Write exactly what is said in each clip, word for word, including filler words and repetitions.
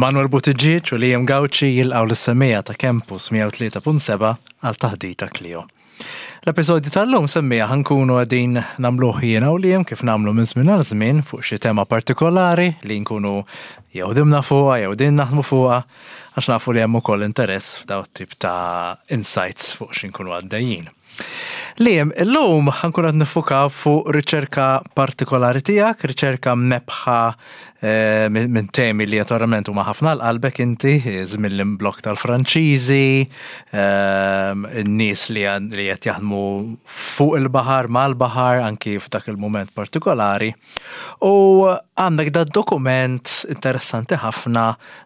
Manuel Buttigieg u Liam Gauci jilqgħu lis-semmiegħa ta' Campus mija u tlieta punt sebgħa għal Taħdita Clio. L-episodju tal-lum, semmiegħa, ħa nkunu qegħdin nagħmluh jiena u Liam kif nagħmlu minn żmien għal żmien fuq xi tema partikolari li nkunu jew ħdimna fuqha jew din naħdmu fuqha, għax nafu li hemm ukoll interess f'daw tip ta' insights fuq xi nkunu għaddejjin. Liam, illum ħa nkunu qed niffukaw fuq riċerka partikolari tiegħek, riċerka mnebbħa eh, minn minn temi li naturalment huma ħafna għal qalbek inti, żmien l-imblokk tal-Franċiżi, ehm, in-nies li għan- li qed jaħdmu fuq il-baħar, mal-baħar, anki f'dak il-moment partikolari. U għandek da dokument interessanti ħafna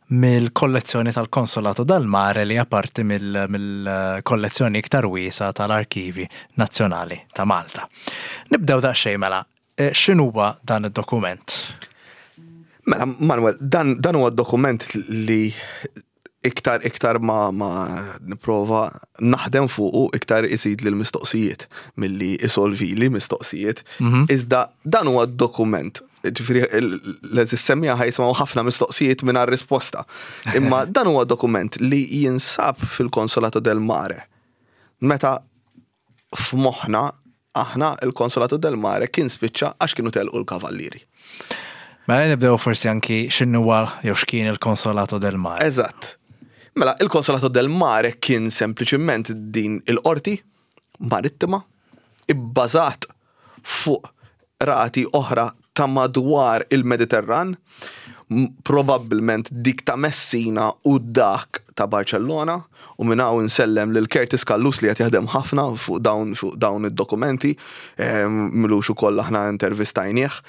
mill-kollezzjoni tal-Consolato del Mare li parti mill-kollezzjoni iktar wiesgħa tal-Arkivi Nazzjonali ta' Malta. Nibdew daqsxejn mela, eh, x'inhuwa dan id-dokument? Mela, Manuel, dan, dan huwa dokument li iktar iktar ma, ma nipprova naħdem fuqu, iktar iżid li l-mistoqsijiet milli isolvi li mistoqsijiet. Iżda dan huwa dokument, ġifieri l-semmiegħa ħa jisimgħu ħafna mistoqsijiet minn risposta. Imma dan huwa dokument li jinsab fil-Consolato del Mare. Meta f'moħħna aħna il-Consolato del Mare kien spiċċa għax kienu telqu l-kavallieri. Mela nibdew forsi anki x'inhuwa jew x'kien il-Consolato del Mare. Eżatt. Mela, il-Consolato del Mare kien sempliċiment din il-qorti marittima ibbażat fuq qrati oħra ta' madwar il-Mediterran, m- probabbilment dik ta' Messina u dak ta' Barcellona, u minn hawn insellem lil Curtis Callus li qed jaħdem ħafna fuq dawn fuq dawn id-dokumenti, em, m'ilux ukoll aħna intervistajnieh.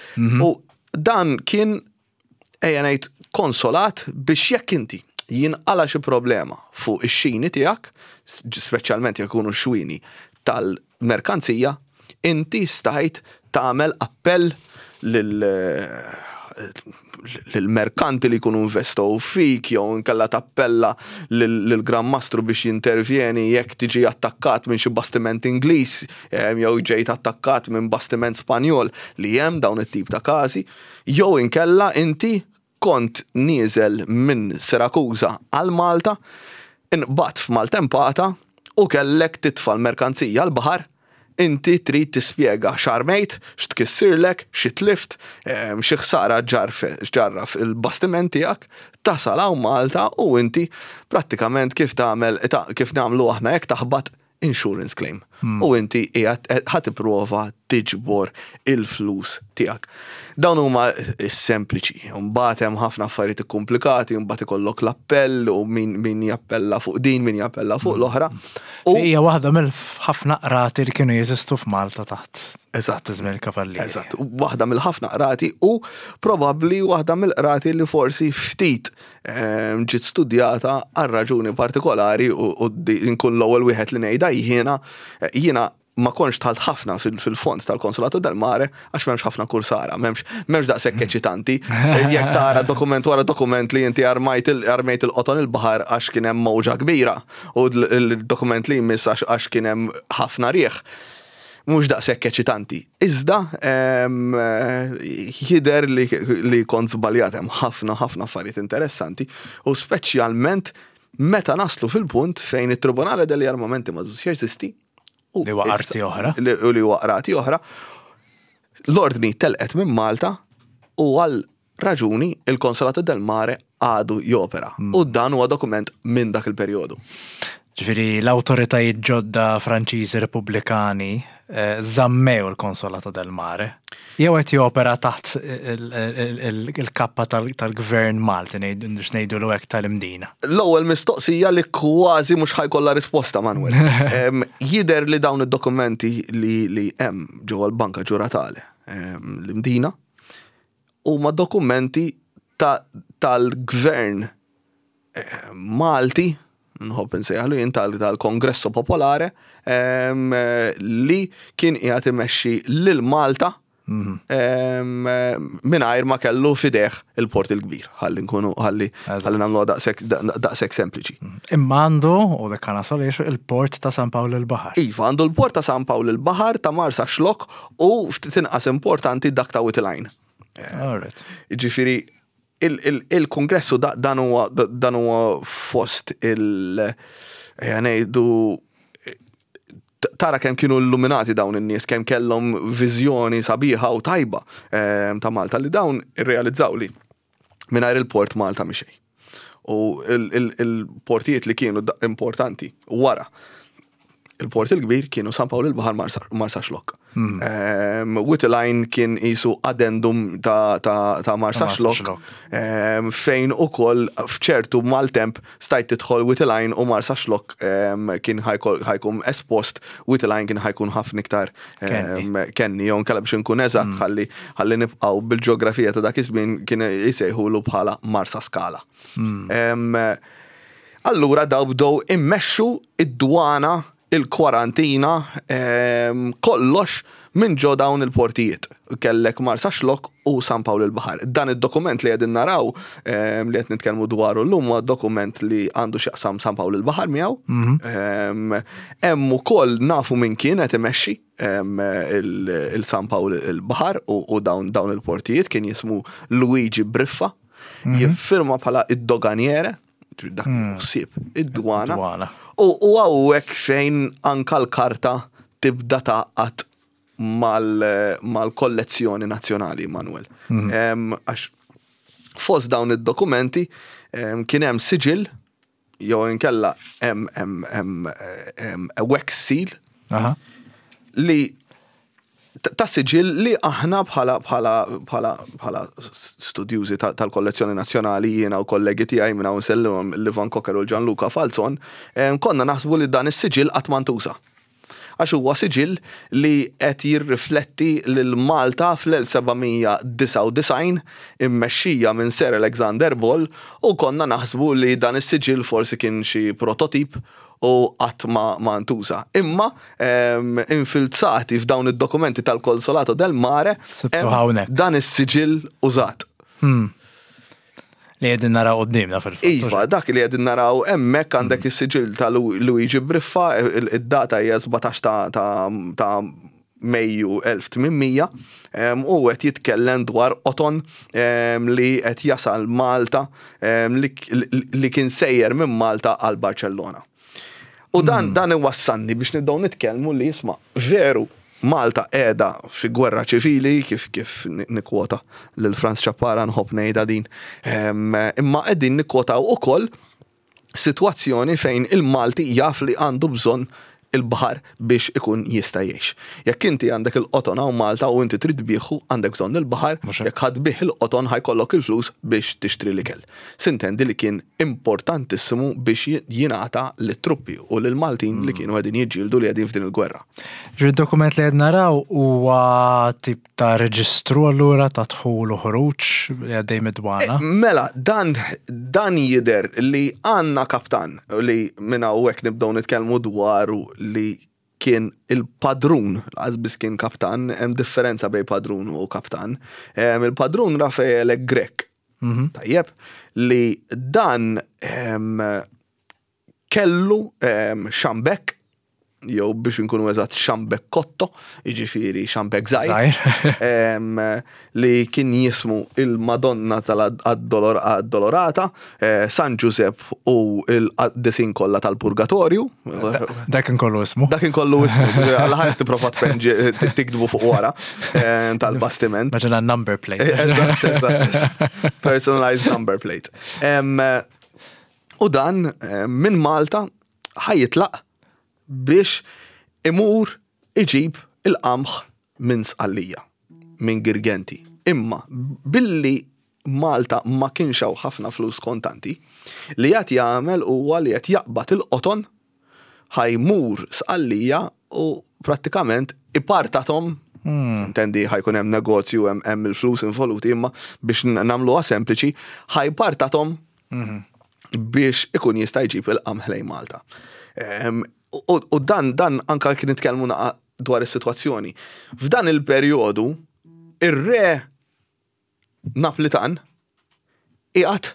U dan kien, ejja ngħid, konsolat biex jekk inti jinqala xi problema fuq ix-xini tiegħek, speċjalment jekk ikunu xwini tal-merkanzija, inti stajt tagħmel appell lil lil-merkanti li jkunu investow fik, jew inkella tappella lil-Gran Mastru biex jintervjeni jekk tiġi attakkat minn xi bastiment Ingliż em, jew ġejt attakkat minn bastiment Spanjol, li hemm dawn it-tip ta' każi, jew inkella inti kont nieżel minn Sirakuża għal Malta, inqbadt f'maltempata u kellek titfa' l-merkanzija l-baħar, inti trid tispjega x'armejt, x'tkissirlek, x'tlift, em, xi ħsara ġarraf il-bastiment tiegħek, tasal hawn Malta u inti prattikament kif tagħmel ta' kif nagħmlu aħna jekk taħbat insurance claim. U inti qiegħed ħa tipprova tiġbor il-flus tiegħek. Dawn huma sempliċi, mbagħad hemm ħafna affarijiet komplikati, mbagħad ikollok l-appell u min, min jappella fuq din, min jappella fuq l-oħra. U Hija waħda mill-ħafna qrati li kienu jeżistu f'Malta taħt Eżatt. taħt żmien il-kavallieri. Eżatt, waħda mill-ħafna qrati u probabbli waħda mill-qrati li forsi ftit ehm, ġiet studjata għal raġuni partikolari u, u di- nkun l-ewwel wieħed li ngħidha jiena jiena ma kontx dħalt ħafna fil- fil-fond tal-Consolato del Mare għax m'hemmx ħafna kursara, m'hemmx m'hemmx daqshekk eċitanti. Jekk tara dokument wara dokument li inti armajt il- armejt il-qoton il-baħar għax kien hemm mowġa kbira u l-dokument li jmiss għax għax kien hemm ħafna rieħ, mhux daqshekk eċitanti. Iżda em, eh, jidher li, li kont żbaljat, hemm ħafna ħafna affarijiet interessanti u speċjalment meta naslu fil-punt fejn it-Tribunale degli Armamenti ma jeżisti. u Li huwa arti oħra. Li u li huwa qrati oħra. L-ordni telqet minn Malta u għal raġuni il-Consolato del Mare għadu jopera. U dan huwa dokument minn dak il-perjodu. Ġifieri l-awtoritajiet ġodda Franċiżi Repubblikani eh, żammew il-Consolato del Mare. Jew qed jopera taħt il- il- il- il-kappa tal- tal-gvern Malti, ngħidu biex ngħidu hekk, tal-Imdina. L-ewwel mistoqsija li kważi mhux ħa jkollha risposta, Manuel. Em, Jidher li dawn id-dokumenti li li hemm ġewwa l-Banka Ġuratale em, l-Imdina huma dokumenti ta- tal-gvern eh, Malti, nħobb insejjaħlu jien tal- tal-Kongresso Popolare, em, eh, li kien qiegħed imexxi lil Malta em, eh, mingħajr ma kellu f'idejh il-Port il-Kbir. Ħalli nkunu ħalli ħalli nagħmluha daqshekk daqshekk sempliċi. Imma għandu, u dak nasal, il-port ta' San Pawl il-Baħar. Iva, għandu l-port ta' San Pawl il-Baħar, ta' Marsaxlokk u ftit inqas importanti dak ta' Wied il-Għajn. Alright. Ġifieri, Il-Kongressu dan huwa dan huwa fost il- ngħidu tara kemm kienu illuminati dawn in-nies, kemm kellhom viżjoni sabiħa u tajba ta' Malta li dawn irrealizzaw li mingħajr il-port Malta mhi xejn. U il-portijiet li kienu importanti wara il-port il-kbir kienu San Pawl il-Baħar, Marsaxlokk. Hmm. Wied il-Għajn kien qisu addendum ta', ta, ta Marsaxlokk, fejn ukoll fċertu maltemp stajt tidħol Wied il-Għajn u Marsaxlokk kien ħa jkun espost, Wied il-Għajn kien ħa jkun ħafna iktar kenni, jew inkella biex nkun eżatt hmm. ħalli ħalli nibqgħu bil-ġeografija ta' dak iż-żmien, kien jsejħulu bħala Marsa Skala. Hmm. Allura daw bdew immexxu id-dwana, il-kwarantina, kollox minn ġo dawn il-portijiet. Kellek Marsaxlokk u San Pawl il-Baħar. Dan id-dokument li qegħdin naraw, li qed nitkellmu dwaru llum, huwa dokument li għandu x'jaqsam San Pawl il-Baħar miegħu. Mhm. Hemm ukoll nafu minn kien qed imexxi il-San Pawl il-Baħar u dawn dawn il-portijiet, kien jismu Luigi Briffa. Mhm. Jiffirma bħala id-doganiere, dak hmm. ħsieb id-dwana. U hawnhekk fejn anka l-karta tibda taqgħad mal-kollezzjoni nazzjonali, Manuel. Mhm. Għax fost dawn id-dokumenti kien hemm siġil jew inkella hemm wax seal li ta' siġil li aħna bħala bħala bħala bħala studjużi tal-kollezzjoni nazzjonali, jiena u kollegi tiegħi, minn hawn sellimhom, Livan Cocker u Gianluca Falzon, konna naħsbu li dan is-siġil qatt ma ntuża. Għax huwa siġil li qed jirrifletti lil Malta fl-elf seba' mija disgħa u disgħin immexxija minn Sir Alexander Ball u konna naħsbu li dan is-siġil forsi kien xi prototip u qatt ma, ma ntuża. Imma em, infilzati f'dawn id-dokumenti tal-Consolato del Mare Sibtu hemm hawnhekk. dan is-siġil użat. Li qegħdin naraw quddiemna fil-fatt. Iva, dak li qegħdin naraw hemmhekk, għandek is-siġil ta' Lu- Luigi Briffa, il- id-data hija sbatax ta' ta' ta' Mejju elf tmien mija em, u qed jitkellem dwar qoton em, li qed jasal Malta em, li, li, li kien sejjer minn Malta għal Barcellona. U dan dan iwassalni biex nibdew nitkellmu li, jisma', veru Malta qiegħda fi gwerra ċivili, kif kif nikkwota lil Franz Ciappara, nħobb ngħidha din. Em, Imma qegħdin nikkwotaw ukoll situazzjoni fejn il-Malti jaf li għandu bżonn il-baħar biex ikun jista' jgħix. Jekk inti għandek il-qoton hawn Malta u inti trid tbigħu, għandek bżonn il-baħar, Mhux hekk. jekk ħa tbigħ il-qoton ħa jkollok il-flus biex tixtri l-ikel. Sintendi li kien importantissimu biex jingħata lit-truppi u lill-Maltin li kienu qegħdin jiġġieldu, li qegħdin f'din il-gwerra. Ġi dokument li qed naraw huwa tip ta' reġistru allura ta' dħul u ħruġ li għaddej mid-dwana. Mela, dan, dan jider li għanna kaptan li minna u hekk nibdew nitkellmu dwaru li kien il-padrun, għazbis kien kaptan, hemm differenza bejn padrun u kaptan. Em, Il-padrun Raffaele Grech, Mhm. tajjeb, li dan em, kellu em, xambek, jew biex nkunu eżatt xambekkotto, jiġifieri xambek żgħir, Żgħir. em, li kien jismu il-Madonna tal-Addolorata, eh, San Giuseppe u il-qaddisin kollha tal-Purgatorju. Dak kollu ismu. Dak kollu ismu, għalla ħares tipprova tpenġi tiktbu fuq wara eh, tal-bastiment. Maġena number plate. Eżatt, eżatt. Personalized number plate. Em, U dan eh, minn Malta ħa jitlaq biex imur iġib il-qamħ minn Sqallija, minn Girgenti. Imma billi Malta ma kienx hawn ħafna flus kontanti, li qed jagħmel huwa li qed jaqbad il-qoton, ħa jmur Sqallija u prattikament ipartathom. Intendi ħa jkun hemm negozju, hemm hemm il-flus involuti, imma biex nagħmluha sempliċi, ħa jpartathom biex ikun jista' jġib il-qamħ lejn Malta. Em, U u dan dan anka kien nitkellmu naqa dwar is-sitwazzjoni. F'dan il-perjodu ir-re Naplitan qiegħed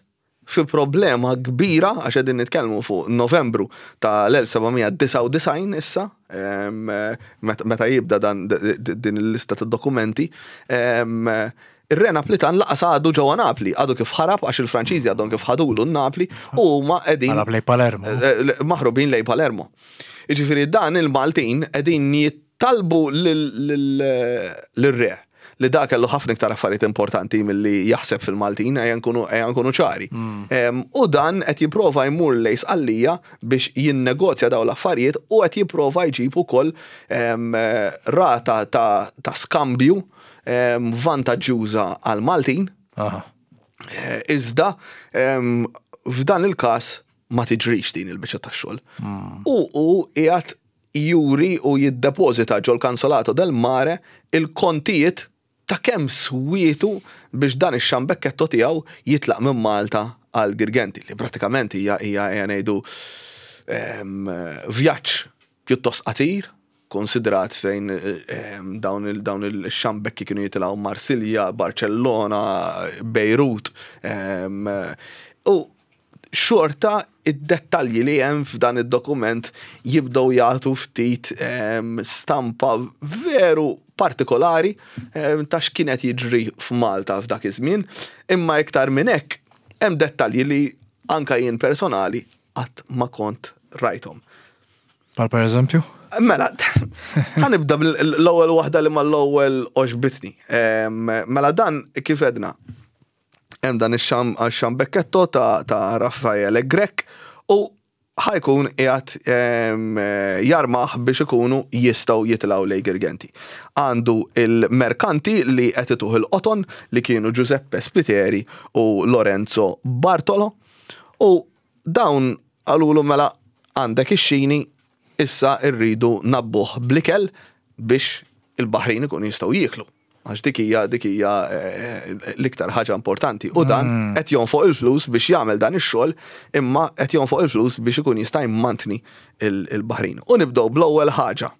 fi problema kbira għax qegħdin nitkellmu fuq Novembru tal-elf seba' mija disgħa u disgħin issa, em, meta meta jibda dan d- d- din il-lista ta' dokumenti, em, ir-re Naplitan lanqas għadu ġewwa Napli, għadu kif ħarab għax il-Franċiżi għadhom kif ħadulu Napli u huma qegħdin Ħarab lejn Palermo. eh, eh, maħrubin lejn Palermo. Jiġifieri dan il-Maltin qegħdin jittalbu lil-re li da kellu ħafna iktar affarijiet importanti milli jaħseb fil-Maltin, ejja nkunu ejja nkunu ċari. Em, U dan qed jipprova jmur lejn Sqallija biex jinnegozja dawn l-affarijiet u qed jipprova jġib ukoll em, rata ta', ta skambju em, vantaġġjuża għal-Maltin. Aha. Eh, Iżda em, f'dan il-każ ma tiġrix din il-biċċa tax-xogħol. U u qiegħed juri u jiddepożita ġol Consolato del Mare il-kontijiet ta' kemm swietu biex dan ix-xambekketto tiegħu jitlaq minn Malta għal Girgenti, li pratikament hija hija hija ngħidu em, vjaġġ pjuttost qasir, konsidrat fejn em, dawn il dawn il-xambekki kienu jitilgħu Marsilja, Barcellona, Beirut. em, U xorta id-dettalji li hemm f'dan id-dokument jibdew jagħtu ftit em, stampa veru partikolari em, ta' x'kienet jiġri f'Malta f'dak iż-żmien, imma iktar minn hekk hemm dettalji li anka jien personali qatt ma kont rajthom. Bħal per eżempju? Mela, ħa nibda bl-ewwel waħda li mal-ewwel għoġbitni. Em, Mela dan kif għedna, hemm dan ix-xam xambekketto ta' ta' Raffaele Grech u ħa jkun qiegħed em, jarmaħ biex ikunu jistgħu jitilgħu lejn Girgenti. Għandu il-merkanti li qed ituh il-qoton li kienu Giuseppe Spliteri u Lorenzo Bartolo u dawn qalulu mela għandek ix-xini, issa rridu nagħbbuh bl-ikel biex il-baħrin ikun jistgħu jieklu. Għax dik hija dik hija eh, l-iktar ħaġa importanti. U dan qed jonfoq il-flus biex jagħmel dan ix-xogħol, imma qed jonfoq il-flus biex ikun jista' jmantni il- il-baħrin. U nibdew bl-ewwel ħaġa.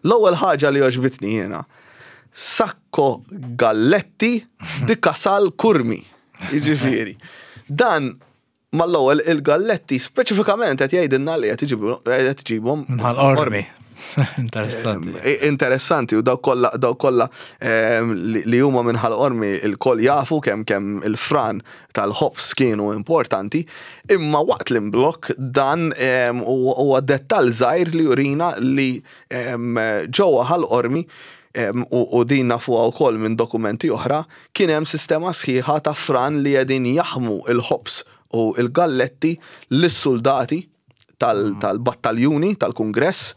L-ewwel ħaġa li għoġbitni jiena. Sacco Galletti di Casal Curmi. Jiġifieri. Dan mal-ewwel il-galletti speċifikament qed jgħidilna li qed iġibu- qed iġibhom Minn Ħal Qormi. Interessanti. Eh, Interessanti u dawk kollha dawk kollha em, li li huma minn Ħal Qormi il-koll jafu kemm kemm il-fran tal-ħobs kienu importanti, imma waqt l-imblok dan em, huwa huwa dettall żgħir li jurina li em, ġewwa Ħal Qormi em, u, u din nafuha wkoll minn dokumenti oħra, kien hemm sistema sħiħa ta' fran li qegħdin jaħmu il-ħobs u il-galletti lis-soldati tal- tal-battaljuni tal-kongress.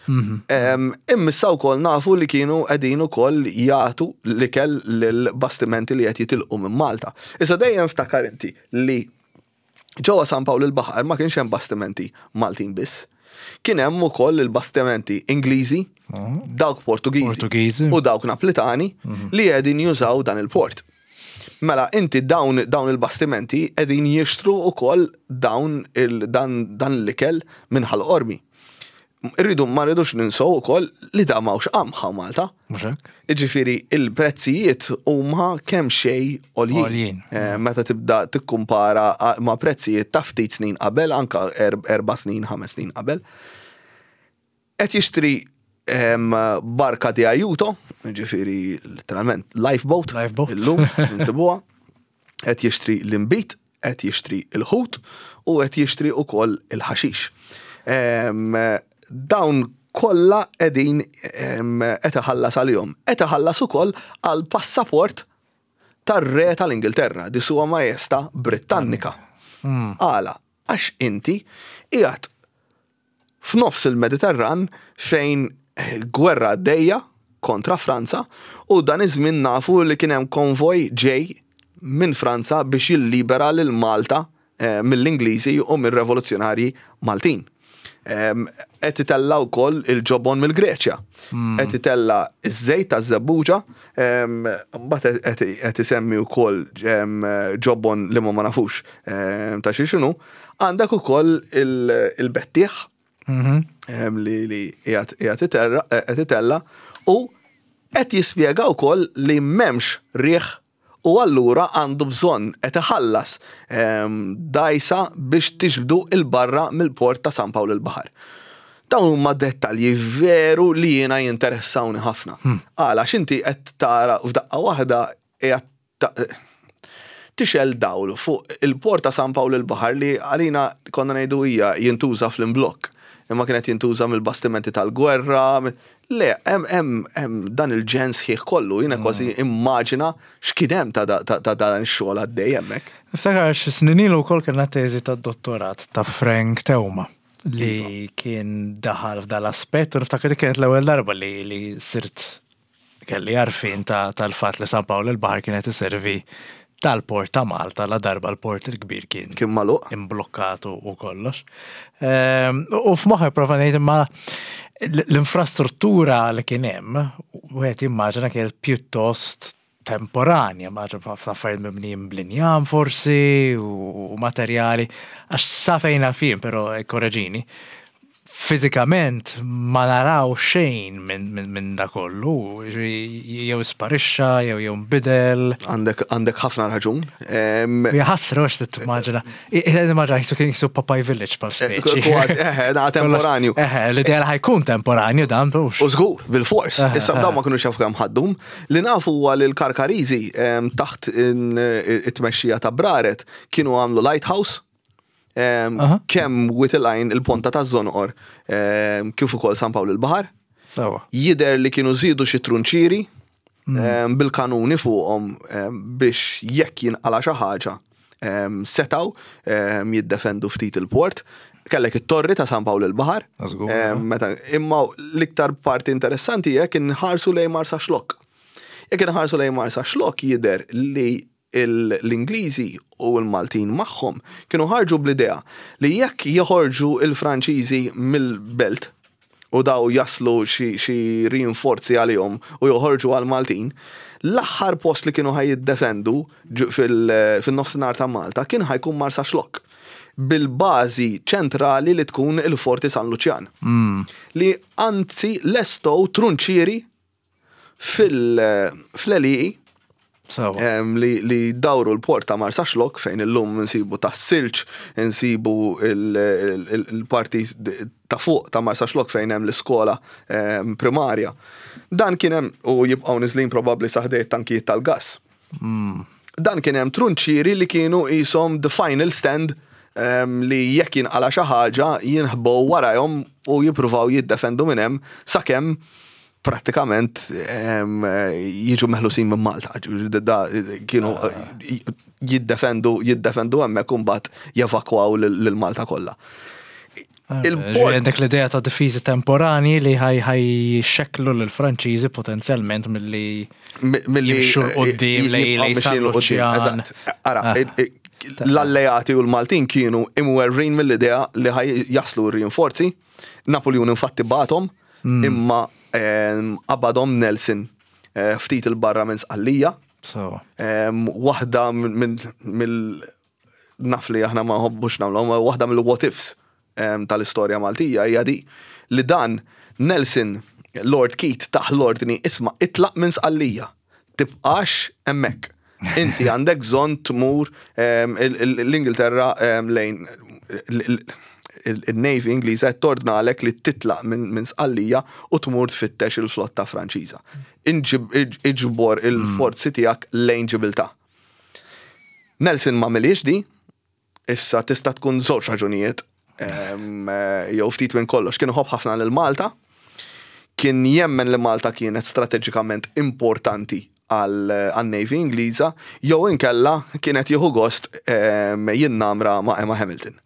Em, Imma wkoll nafu li kienu qegħdin ukoll jagħtu l-ikel lill-bastimenti li qed jitilqu minn Malta. Issa dejjem ftakar inti li ġewwa San Pawl il-Baħar ma kienx hemm bastimenti Maltin biss. Kien hemm ukoll il-bastimenti Ingliżi, dawk Portugiżi, Portugiżi. u dawk Naplitani li qegħdin jużaw dan il-port. Mela, inti dawn, dawn il-bastimenti qegħdin jixtru ukoll dawn il, dan, dan l-ikel minn Ħal Qormi. Irridu ma rridux ninsow ukoll li da m'hawnx qamħa Malta. Mhux hekk? Iġifieri il-prezzijiet huma kemm xejn għoljin. Għoljin. Eh, Meta tibda tikkumpara a- ma' prezzijiet ta' ftit snin qabel, anka erb- erba' snin, ħames snin qabel. Qed jixtri em, barka di aiuto, ġifieri literalment lifeboat, Lifeboat. illum insibuha. Qed jixtri l-inbid, qed jixtri il-ħut u qed jixtri ukoll il-ħaxix. Em, Dawn kollha qegħdin em, qed iħallas għalihom. Qed iħallas ukoll għal passaport tar-re tal-Ingilterra, di sua Majesta Britannika. Għala, għax inti qiegħed f'nofs il-Mediterran fejn gwerra għaddejja kontra Franza u dan iż-żmien nafu li kien hemm konvoj ġej minn Franza biex jillibera lil Malta eh, mill-Ingliżi u mir-revoluzzjonarji Maltin. Em, Qed itella wkoll il-ġobon mill-Greċja. Qed itella iż-żejt taż-żebbuġa, em, mbagħad qed qed isemmi wkoll em, ġobon li ma ma nafux em, ta' xi x'inhu. Għandek ukoll il- il-bettieħ Mhm. em, li li qiegħed qiegħed iterra- qed itella u qed jispjega wkoll li m'hemmx riħ u allura għandu bżonn qed iħallas em, dgħajsa biex tiġbdu 'il barra mill-port ta' San Pawl il-Baħar. Dawn huma dettalji veru li jiena jinteressawni ħafna. Għala, x'inti qed tara f'daqqa waħda qiegħed ta- tixgħel dawl fuq il-port ta' San Pawl il-Baħar li għalina konna ngħidu hija jintuża fl-imblokk. Imma kienet jintuża mill-bastimenti tal-gwerra. Le, hemm hemm hemm dan il-ġens ħieħ kollu, jiena kważi immaġina x'kien hemm ta' ta' ta' dan ix-xogħol għaddej hemmhekk. Niftakar xi snin ilu wkoll kellna teżi tad-dottorat ta' Frank Teuma li kien daħal f'dal-aspett u niftakar li kienet l-ewwel darba li, li sirt kelli għarfien ta' tal-fatt li San Pawl il-Baħar kienet iservi tal-port ta' Malta la darba l-port il-kbir kien Kien magħluq. imblokkat u u kollox. Ehm, U f'moħħi prova ngħid imma l-infrastruttura li kien hemm, wieħed jimmaġina kienet pjuttost temporanja, maġa f'affarijiet mibnijin bl-injam forsi u materjali, għax sa fejn naf jien, però korreġini, fizikament ma naraw xejn minn min, min da kollu, ġifieri jew sparixxa, jew jew nbidel. Għandek għandek ħafna raġun. Em, Jaħasra għax timmaġina. Immaġina jisu kien jisu Popeye Village pal speċi. Kważi, eħe, da temporanju. Eħe, l-idea li ħa jkun temporanju dan, bux. U żgur, bil-fors. Eħe, Issa eħe. dawn ma kienu jafu kemm ħa ddum. Li nafu huwa li l-Karkariżi em, taħt in- it-tmexxija ta' Braret kienu għamlu lighthouse. em, Aha. Kemm Wied il-Għajn il-ponta ta' Żonqor em, kif ukoll San Pawl il-Baħar. Sawa. Jider li kienu żidu xi trunċiri em, bil-kanuni fuqhom em, biex jekk jinqala xi ħaġa em, setaw em, jiddefendu ftit il-port. Kellek it-torri ta' San Pawl il-Baħar. Żgur, Em, Meta, imma l-iktar parti interessanti jekk inħarsu lejn Marsaxlokk. Jekk inħarsu lejn Marsaxlokk jider li il- l-Ingliżi u l-Maltin magħhom kienu ħarġu bl-idea li jekk joħorġu il-Franċiżi mill-belt u daw jaslu xi xi rinforzi għalihom u joħorġu għal-Maltin, l-aħħar post li kienu ħaj jiddefendu ġu- fil- fil-nofsinhar ta' Malta kien ħa jkun Marsaxlokk bil-bażi ċentrali li tkun il-Forti San Luċjan. Li anzi lestow trunċieri fil-għelieqi Sawa. em, li, li dawru l-port ta' Marsaxlokk fejn illum nsibu ta' silġ, nsibu il-parti ta' fuq ta' Marsaxlokk fejn hemm l-iskola em, primarja. Dan kien hemm u jibqgħu niżlin probabbli sa ħdejn tankijiet tal-gas. Dan kien hemm trunċieri li kienu qishom the final stand em, li jekk jinqala xi ħaġa jinħbow warajhom u jippruvaw jiddefendu minn hemm sakemm prattikament em, jiġu meħlusin minn Malta. Ġifieri Da, kienu jiddefendu jiddefendu hemmhekk u mbagħad jevakwaw lil lil Malta kollha. Il-port Għandek l-idea ta' difiżi temporani li ħaj ħaj xeklu l-Franċiżi potenzjalment milli Mi- milli jimxu 'l quddiem lej- jibqgħu lej mixjin San 'l quddiem, Luċjan. eżatt. Ara, Ah. il- il- l-alleati u l-Maltin kienu imwerrin mill-idea li ħaj jaslu r-rinforzi. Napoleon infatti bagħathom, Hmm. imma em, qabadhom Nelson eh, ftit il-barra minn Sqallija. Sawa. Em, Waħda minn mill naf li aħna ma nħobbux nagħmlu, ma waħda mill-what ifs em, tal-istorja Maltija hija di li dan Nelson Lord Keith tah l-ordni isma' itlaq minn Sqallija. Tibqax hemmhekk. Inti għandek bżonn tmur em, il- il- l-Ingilterra em, lejn il- il- il-Navy Ingliża qed tordnalek li titlaq minn minn Sqallija u tmur tfittex il-flotta Franċiża. Inġib- iġ- Iġbor il-forzi tiegħek lejn Ġibiltà. Nelson ma għamilhiex di, issa tista' tkun żewġ raġunijiet, em, eh, jew ftit minn kollox. Kien iħobb ħafna lil Malta, kien jemmen li Malta kienet strateġikament importanti għal-Navy Ingliża, jew inkella kienet jieħu gost em, jinnamra ma' Emma Hamilton.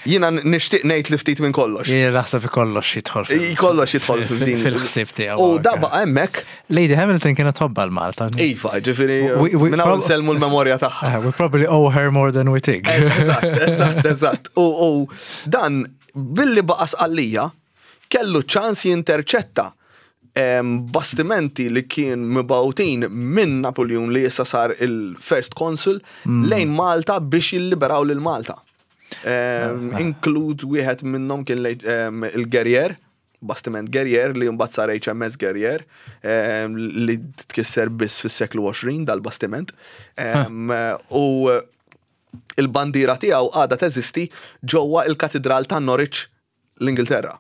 Jiena nixtieq ngħid li ftit minn kollox. Jien naħseb kollox jidħol fil- Kollox jidħol fil-din. Fil-ħsieb tiegħu. U da baqa' hemmhekk, Lady Hamilton kienet tħobba l-Malta. iva, ġifieri We- we minn hawn prob- nsellmu l-memorja tagħha. Ah, We probably owe her more than we think. Eżatt, eżatt, eżatt. U, u dan billi baqa Sqallija kellu ċans jinterċetta em, bastimenti li kien mibgħutin minn Napoleon li issa sar il-First Consul lejn Malta biex jilliberaw lil Malta. Em, Include wieħed minnhom kien lej- em, il-Guerrier, bastiment Guerrier li mbagħad sar H M S Guerrier em, li tkisser biss fis-seklu għoxrin dal-bastiment. Em, U il-bandira tiegħu għadha teżisti ġewwa il-Katidral ta' Norwich, l-Ingilterra.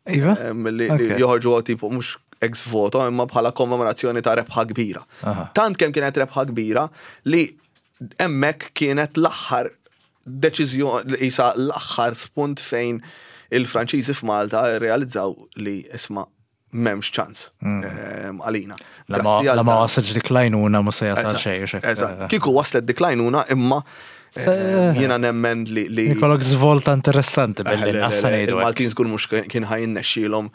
Iva? Em, Li, li Ok. joħorġu tipo mhux ex voto imma bħala kommemorazzjoni ta' rebħa kbira. Aha. Tant kemm kienet rebħa kbira li hemmhekk kienet l-aħħar deċiżjoni, isa l-aħħar spunt fejn il-Franċiżi f'Malta realizzaw li isma' m'hemmx ċans em, għalina. La ma Grazzi għal la ma dan. wasalx dik l-għajnuna ma se jasal Eżatt, xejn. u xek. Eżatt. Kieku waslet dik l-għajnuna imma em, jiena nemmen li li Ikollok żvolta interessanti Eh, billi le, le, nqassa le, ngħidu hekk. Il-Maltin żgur mhux kien ħa jirnexxielhom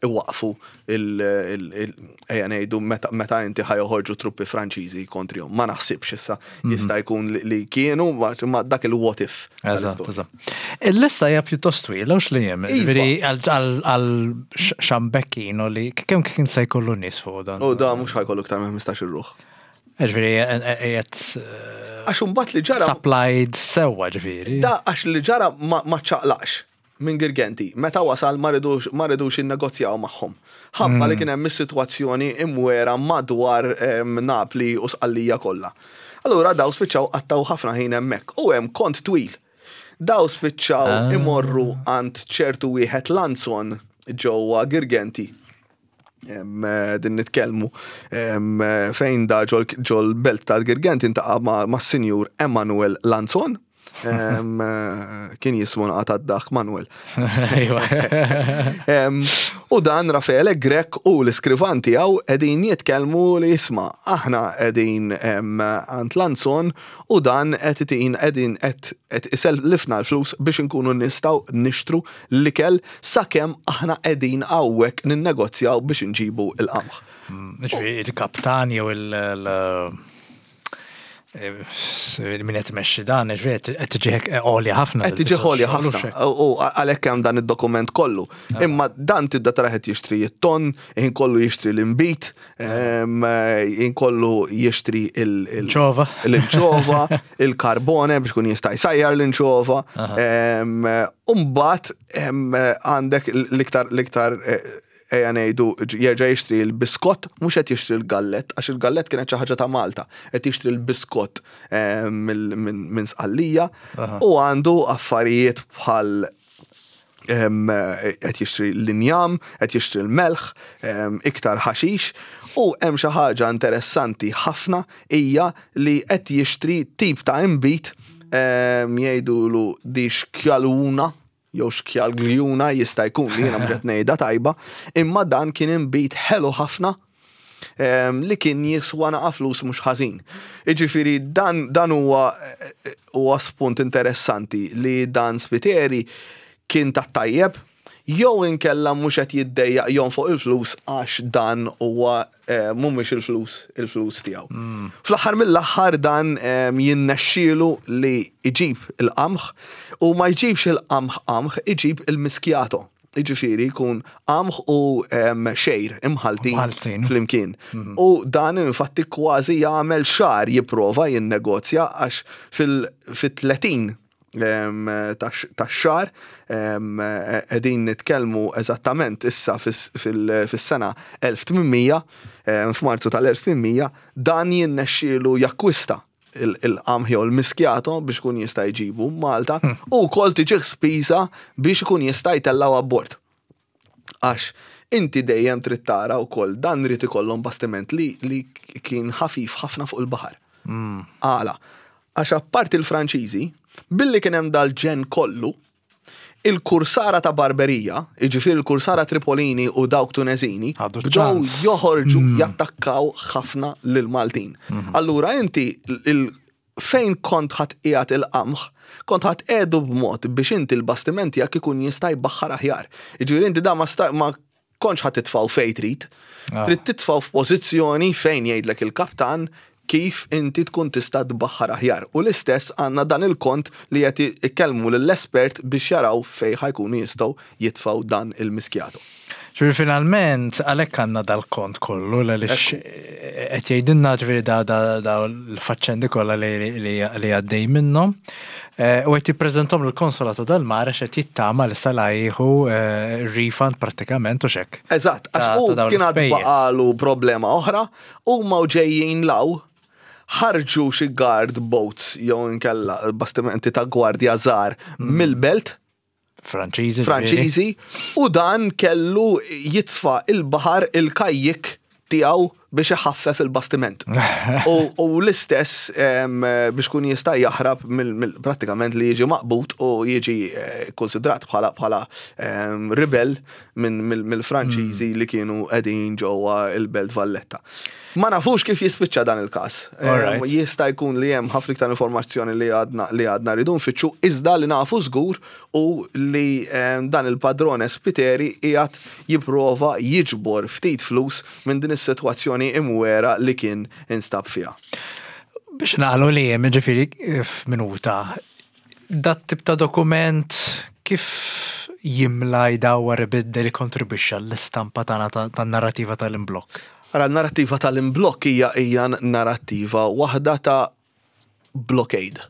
iwaqfu il- il- il- ejja ngħidu meta meta inti ħa joħorġu truppi Franċiżi kontrihom. Ma naħsibx issa jista' jkun li- li kienu ma ma dak il-what if. Eżatt, tal-istorja. eżatt. Il-lista hija pjuttost twila, u xli jem. Iva. Ġifieri għal għal xambekkino li kemm kien se jkollu nies fuq dan. U da mhux ħa jkollu iktar minn ħmistax-il ruħ. Ġifieri qed Għax imbagħad li ġara supplied sewwa ġifieri. Da għax li ġara ma ma ċaqlaqx minn Girgenti. Meta wasal ma ridux ma ridux innegozjaw magħhom. Ħabba li kien hemm is-sitwazzjoni imwera madwar em, Napli u Sqallija kollha. Allura daw spiċċaw qattaw ħafna ħin hemmhekk u hemm kont twil. Daw spiċċaw Ah. imorru għand ċertu wieħed Lanzon ġewwa Girgenti. Em, eh, din nitkellmu em, eh, fejn da ġol ġol belt ta' Girgenti intaqa' ma' ma' Sinjur Emanuel Lanzon. Em, eh, Kien jismu naqata dak Manuel. Iva. Em, U dan Raffaele Grech u l-iskrivan tiegħu qegħdin jitkellmu li jisma' aħna qegħdin em, għand Lanzon u dan qed itin qegħdin qed qed isellifna l-flus biex inkunu nistgħu nixtru l-ikel sakemm aħna qegħdin hawnhekk ninnegozjaw biex inġibu il-qamħ. Ġifieri il-kaptan jew il- il- eh, min qed imexxi dan, ġifieri qed tiġi għolja ħafna. Qed tiġi għolja ħafna. U għalhekk hemm dan id-dokument kollu. Imma dan tibda tara qed jixtri it-ton, ħin kollu jixtri l-imbit, em, ħin kollu jixtri il- il- Ċova. l-inċova, il-karbone biex kun jista' jsajjar l-inċova. Umbat għandek l-iktar l-iktar eh, ejja ngħidu jerġa' jixtri l-biskott, mhux qed jixtri l-gallett, għax il-gallett kienet xi ħaġa ta' Malta, qed jixtri l-biskott eh, mill- minn minn Sqallija Aha. u għandu affarijiet bħal em, qed jixtri l-injam, qed jixtri l-melħ, em, iktar ħaxix u hemm xi ħaġa interessanti ħafna hija li qed jixtri tip ta' imbit em, jgħidulu di xkjaluna jew xkjalgljuna jista' jkun li jiena mhux qed ngħidha tajba, imma dan kien imbit ħelu ħafna em, li kien jiswa naqa flus mhux ħażin. Iġifieri dan dan huwa huwa spunt interessanti li dan Spiteri kien ta' tajjeb jew inkella mhux qed jiddejjaq jonfoq il-flus għax dan huwa eh, mhumiex il-flus il-flus tiegħu. Fl-aħħar mill-aħħar dan em, jinnexxielu li iġib il-qamħ u ma jġibx il-qamħ qamħ, iġib il-miskjato. Iġifieri jkun qamħ u em, xejr imħaltin Imħaltin. flimkien. U dan infatti kważi jagħmel xahar jipprova jinnegozja għax fil-tletin tax-xahar qegħdin nitkellmu eżattament issa fis- fil- fis-sena elf tmien mija, em, f'Marzu tal-elf tmien mija, dan jinnexxielu jakkwista il-qamħ jew il-miskjato biex kun jista' jġibu Malta u wkoll tiġih spiża biex ikun jista' jtellgħu abbord. Għax inti dejjem trid tara wkoll dan rid ikollhom bastiment li, li kien ħafif ħafna fuq il-baħar. Għala, għax apparti il-Franċiżi, billi kien hemm dal-ġen kollu, il-kursara ta' Barberija, jiġifieri il-kursara Tripolini u dawk Tunezini, Ħadu bdew ċans. joħorġu jattakkaw ħafna lil Maltin. Allura inti il fejn kont ħa tqiegħed il-qamħ, kont ħa tqiegħdu b'mod biex inti l-bastiment tiegħek ikun jista' jbaħħar aħjar. Jiġifieri inti da ma sta- ma kontx ħa titfgħu fejn trid. Ah. Trid titfgħu f'pożizzjoni fejn jgħidlek il-kaptan kif inti tkun tista' tbaħħar aħjar. U l-istess għandna dan il-kont li qed ikellmu lill-espert biex jaraw fejn ħa jkunu jistgħu jitfgħu dan il-miskjatu. Ġifieri finalment, għalhekk għandna dal-kont kollu, għaliex qed jgħidilna ġifieri da da da l-faċċendi kollha li li li għaddej minnhom. Eh, U qed jippreżentom l-konsolata dal-mar għax qed jittama li sala jieħu eh, refund prattikament u xek. Eżatt, għax Ta' u ta' dawn kien għad l-ispejjeż. baqalu problema oħra, u ma ġejjin law ħarġu xi guard boats jew inkella bastimenti ta' gwardja żgħar Mm. mill-belt. Franċiżi. Franċiżi, u dan kellu jitfa il-baħar il-kajjik tiegħu biex iħaffef il-bastiment. U, u l-istess em, biex kun jista' jaħrab mill, mill, prattikament li jiġi maqbut u jiġi eh, konsidrat bħala bħala em, ribel minn mill-Franċiżi li kienu qegħdin ġewwa il-Belt Valletta. Ma nafux kif jispiċċa dan il-każ. Em, Alright. Jista' jkun li hemm ħafna iktar informazzjoni li għadna li għadna rridu nfittxu, iżda li nafu żgur u li em, dan il-padrone Spiteri qiegħed jipprova jiġbor ftit flus minn din is-sitwazzjoni imwera li kien instab fiha. Biex nagħlqu li hemm ġifieri f'minuta, dat tip ta' dokument kif jimla, jdawwar, ibiddel, jikkontribwixxa l-istampa tagħna ta- tan-narrativa tal-imblokk? Ara, narrattiva tal-imblokk hija hija narrattiva waħda ta' blockade.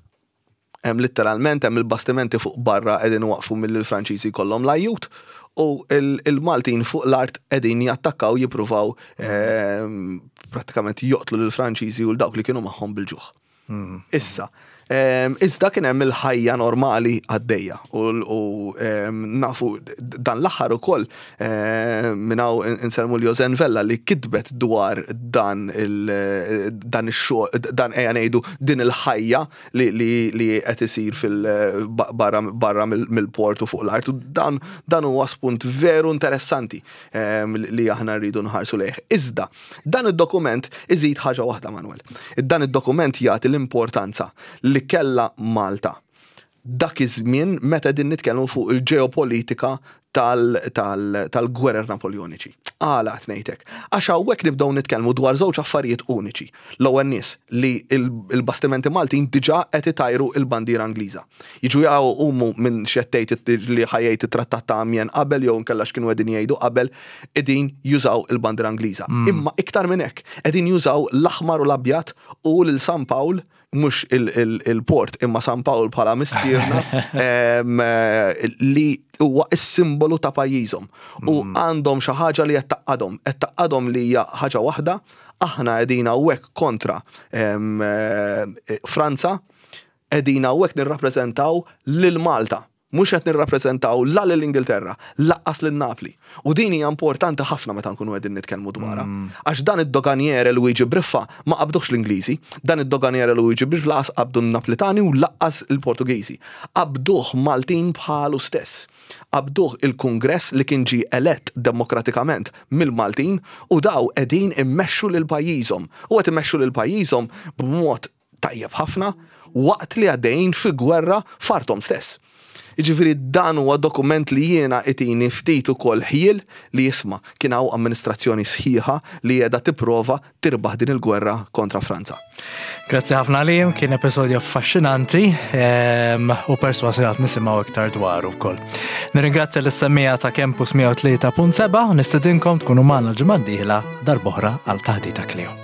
Hemm letteralment hemm il-bastimenti fuq barra qegħdin waqfu mill-Franċiżi kollhom l-ajjut u il- il-Maltin fuq l-art qegħdin jattakkaw, jippruvaw ehm, prattikament joqtlu lill-Franċiżi u l-dawk li kienu magħhom bil-ġuħ. Issa, ehm, iżda kien hemm il-ħajja normali għaddejja u, u ehm, nafu dan l-aħħar ukoll ehm, minn hawn insellmu l-Josen Vella li kitbet dwar dan il dan ix-xogħol, dan, ejja ngħidu, din il-ħajja li li li qed isir fil barra barra mill- mill-port u fuq l-art, u dan dan huwa spunt veru interessanti ehm, li aħna rridu nħarsu lejh. Iżda dan id-dokument iżid ħaġa waħda, Manuel. Dan id-dokument jagħti l-importanza li kella Malta dak iż-żmien meta din nitkellmu fuq il-ġeopolitika tal-gwerer Napoleoniċi. Għala qed ngħidlek? Għax hawnhekk nibdew nitkellmu dwar żewġ affarijiet uniċi. L-ewwel nies li il-bastimenti Maltin diġà qed itajru il-bandiera Ingliża. Jiġu jaqgħu umu minn xettejt li ħajjejt it-trattat ta' Amiens qabel jew nkella x'kienu qegħdin jgħidu qabel, qegħdin jużaw il-bandiera Ingliża. Imma iktar minn hekk, qegħdin jużaw l-aħmar u l-abjad u lil San Pawl, mhux il-port imma San Pawl bħala missierna em, eh, li huwa is-simbolu ta' pajjiżhom. U għandhom xi ħaġa li qed tgħaqqadhom, qed tgħaqqadhom li hija ħaġa waħda, aħna qegħdin hawnhekk kontra em, eh, Franza, qegħdin hawnhekk nirrappreżentaw lil Malta. Mhux qed nirrappreżentaw la lil Ingilterra, lanqas lil Napli. U din hija importanti ħafna meta nkunu qegħdin nitkellmu dwarha. Għax dan id-doganiere Luigi Briffa ma qabduhx l-Ingliżi, dan id-doganiere Luigi Briffa lanqas qabdu n-Naplitani u lanqas il-Portugiżi. Qabduh Maltin bħalu stess. Qabduh il-Kungress li kien ġi elett demokratikament mill-Maltin u daw qegħdin immexxu lil pajjiżhom. U qed immexxu lil pajjiżhom b'mod tajjeb ħafna waqt li għaddejn fi gwerra f'arthom stess. Jiġifieri dan huwa dokument li jiena itini ftit ukoll ħjiel li jisma' kien hawn amministrazzjoni sħiħa li qiegħda tipprova tirbaħ din il-gwerra kontra Franza. Grazzi ħafna Liam, kien episodju affaxxinanti em, u persważi għad nisimgħu iktar dwaru wkoll. Nirringrazzja lis-semmiegħa ta' Campus mija u tlieta punt sebgħa u nistedinkom tkunu magħna l-ġimgħa d-dieħla darb'oħra għal Taħdita Kleo.